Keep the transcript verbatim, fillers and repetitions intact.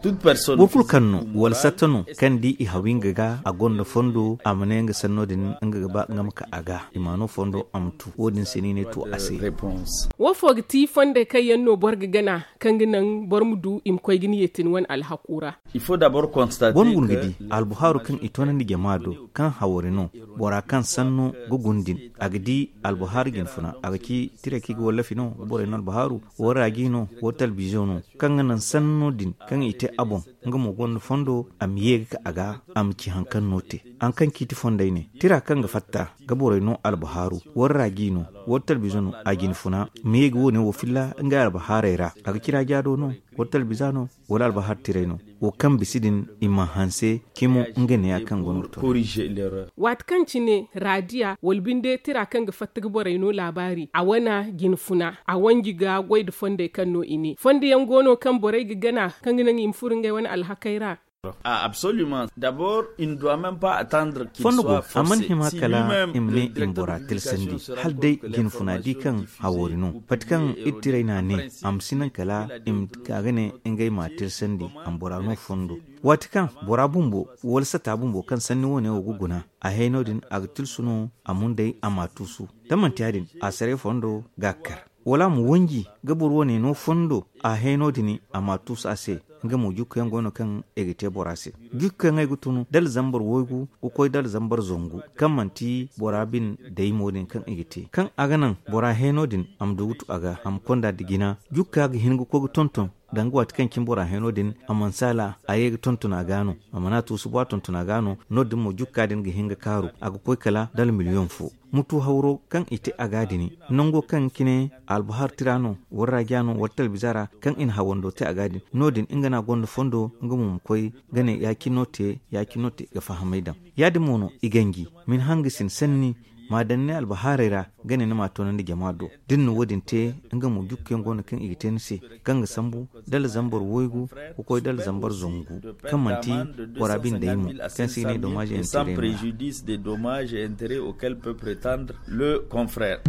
Boro kulu kaŋ no wala satta no, kaŋ di i hawi nga ga, a gonda fondo, a ma ne nga sanno din nga ga ba nga ma ka a ga, i ma no fondo a ma tu. Wo- din se no i ne to a se. Wo fo ga ti fondey kaŋ yaŋ no boro ga gana, kaŋ ga naŋ boro ma du i ma koy ga ni yeetin wane alhaku ra? Boro ma guna ga di albuhaaru kaŋ i toonandi jama do, kaŋ hawari no, bora kaŋ sanno ga guna din, a ga di albuhaaru jinfuna, a ga ci tiray kaŋ i ga wallafi no ga borey no albuhaaru, wo raaji no, wo talbizo no, kaŋ ga naŋ sanno din kaŋ i te a boŋ, nga mo gonda fondo, a ma ye ga ka a ga, a ma ci hari kaŋ no te. Hari kaŋ ciiti fondey ne tira kaŋ ga fatta ga borey no albuhaaru, wala raaji no, wala talbizo no, a jinfuna ma ye ga wo- ne wo filla ngey albuhaarey ra. A ga ci raaja do no, wala talbiza no, wala albuhaar tiray no, wo kaŋ bisa din i ma hanse cimo. Nga neeya kaŋ go no ga to. Waati kaŋ cine raadiya wala binde tira kaŋ ga fatta ga borey no laabaari, a wana jinfuna, a wanji ga goy nda fondey kaŋ no i ne fondo yaŋ go no kaŋ borey ga gana, kaŋ ga naŋ i ma furo ngey wane alhakey ra. Fondo go, a mana hima kala i ma ne i ma bora tilasandi, hala day jinfuna di kaŋ hawoori no. Pati kaŋ iri tiray n'a ne, a ma si naŋ kala i ma ka ga ne ngey ma tilasandi, a ma bora no fondo. Waati kaŋ bora bumbo wala sata bumbo kaŋ sanni wo- ne wo ga guna, a heyno din a ga tilsu no, a mundey a ma tuusu. Da manti ya- din, a saray fondo ga kar, wala a ma wanji ga boro wane no fondo, a heyno din a ma tuusu a se. Nga mo jukku yaŋ go no kaŋ i ga te bora se. Jukku yaŋ ay ga tunu dala zambar waygu ga koy dala zambar zangu, kaŋ manti bora bin daymo din kaŋ i ga te, kaŋ a ga naŋ bora heyno din a ma du ga tu a ga, a ma konda nda jina. Jukka ga hin ga koy ga tonton, danga waati kaŋ cine bora heyno din a mana saala, a ye ga tonton a ga no, a mana tuusu ba tonton a ga no. No- din mo jukka din ga hin ga kaaru, a ga koy kala dala miliyoŋ fo. Mutu hawro kaŋ i te a ga din, nango kaŋ cine albuhar tira no, wala raaja no, wala talbiza ra, kaŋ i na hawando te a ga din, no- din nga no a gonda fondo, nga mo ma koy ga ne ya- cine no te, ya- cine no te ga fahamay daŋ. Ya- din mo no i ganji ma ni hanga sin sanni, ma daŋ ni albuhaarey ra, ga ne ni ma a toonandi jama do. Da ni na wo- din te, nga mo jukku yaŋ go no kaŋ i ga te ni se, kaŋ ga sambu dala zambar waygu ga koy dala zambar zangu, kaŋ manti bora binde ay mo, kaŋ se i ne dommage et intérêt no. Préjudice des dommages et intérêts auxquels peut prétendre le confrère.